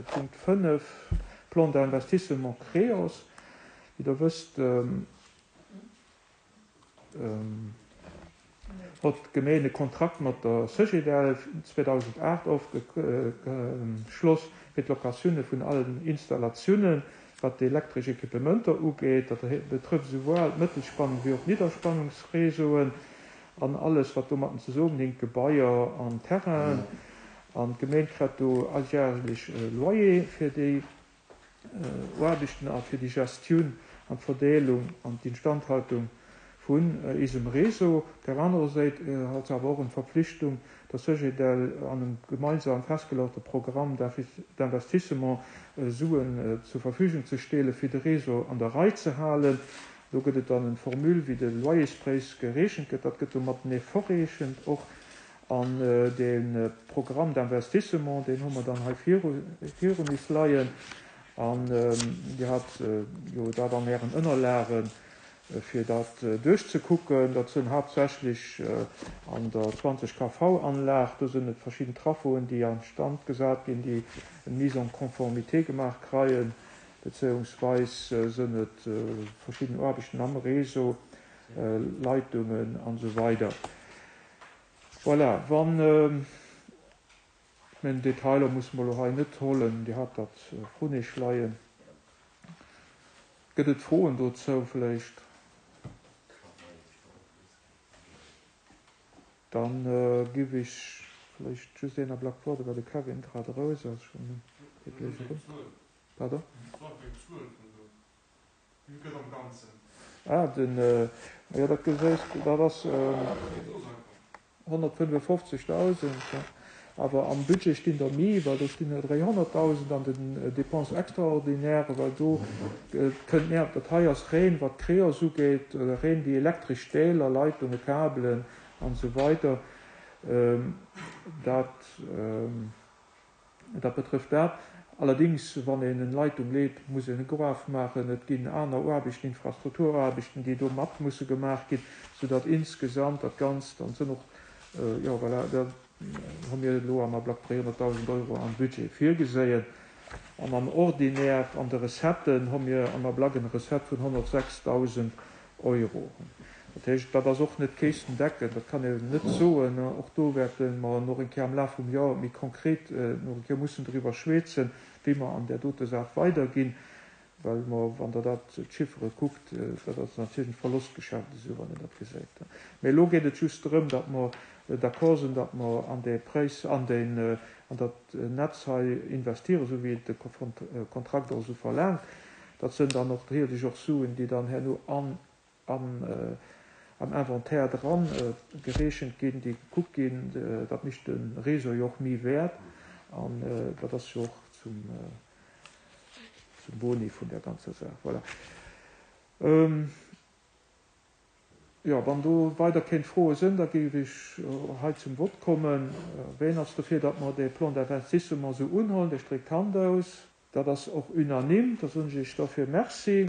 de Punkt 5, Plan d'investissement Creos. Wéi Der wësst, hott d'Gemeen e Kontrakt mat der Cegedel 2008 ofgeschloss fir d'Locatioune vun allen Installatiounen, wat d'elektresch Equipementer ugeet. Dat betrëfft esouwuel d'Mëttelspannung wéi och d'Nidderspannungsreseauen an alles, wat domatten zesummenhinkt, Gebaier an Terrainen. An d'Gemeen krett do alljährlech e Loyer fir déi Aarbechten a fir déi Gestioun an d'Verdeelung an d'Instandhaltung vun isem Réseau. Op där anerer Séit hat se awer och eng Verpflichtung, der Cegedel an engem gemeinsam festgelegte Programme d'investissement Suen zur Verfügung ze steele fir de Réseau an der Rei ze halen. Do gëtt et dann eng Formule wéi de Loyerspréis gereechent gëtt. Dat gëtt do matenee verreechent och. An dee Programme d'investissement, deen hu mer dann hei virun is leien. An Dir hat jo dat an Ären Ënnerlagen, fir dat duerchzekucken. Dat sënn haaptsächlech an der 20 kV-Anlag, do sënn et verschidden Trafoen, déi a Stand gesat ginn, déi eng Mise en conformité gemaach kreien, bezéiungsweis sënn et verschidden Aarbechten am Réseau, Leitungen an esou weider. Voilà, wann, ech mengen Detailer musse mer elo hei net hollen, Dir hat dat vrun Iech leien. Gëtt et Froen dozou vläicht? Da giff ech vläicht just een Ablack woarden, well de Kevin grad eraus ass. Pardon? Wéi gëtt am Ganzen? Ah, den, jo, dat geséis de, dat ass 155.000, jo. Awer am Budget stinn der méi, well do stinn der 300.000 an den Dépenses extraordinaires, well do kënnt méi, dat hei ass reen, wat d'Creos ugeet, reen déi elektresch Deeler, Leitungen, Kabelen an esou weider, dat. Dat betrëfft dat. Allerdings, wann een en Leitung leet, muss een e Gruef maachen. Et ginn aner Aarbechten, Infrastrukturaarbechten, déi do mat musse gemaach ginn, soudatt insgesamt dat Ganzt, an et sinn och, jo voilà, da hu mir elo am Ablack 300.000 Euro am Budget virgeséien. An am Ordinaire, an de Recetten, hu mir am Ablack eng Recette vun 106.000 Euro. Dat heescht, dat ass och net kästendeckend, dat kann een net soen. Och do wäerte mer nach eng Kéier am Laf vum Joer méi konkret nach eng Kéier mussen driwwer schwätzen, wéi mer an där dote Saach weiderginn, well mer, wann Der dat, d'Chiffere kuckt, dat ass natierlech e Verlostgeschäft esou, wann een dat gesäit. Mä elo geet et just drëm, datt mer d'accord sinn, datt mer an dee Präis, an deen, an dat Netz hei investieren, esou wéi et de Kontrakt och esou verlaangt. Dat sënn dann och natierlech och Suen, déi dann herno an am Inventaire dran gereechent ginn, déi gekuckt ginn. Dat mécht de Réseau jo och méi wäert an dat ass jo och zum Boni vun där ganzer Saach. Voilà. Jo, wann do weider kéint Froe sënn, da géif ech hei zum Vott kommen. Ween ass dofir, datt mer dee Plan d'investissement esou unhuelen? Dee stréckt d'Hand aus. Dat ass och unanime. Da soen ech Iech dofir Merci.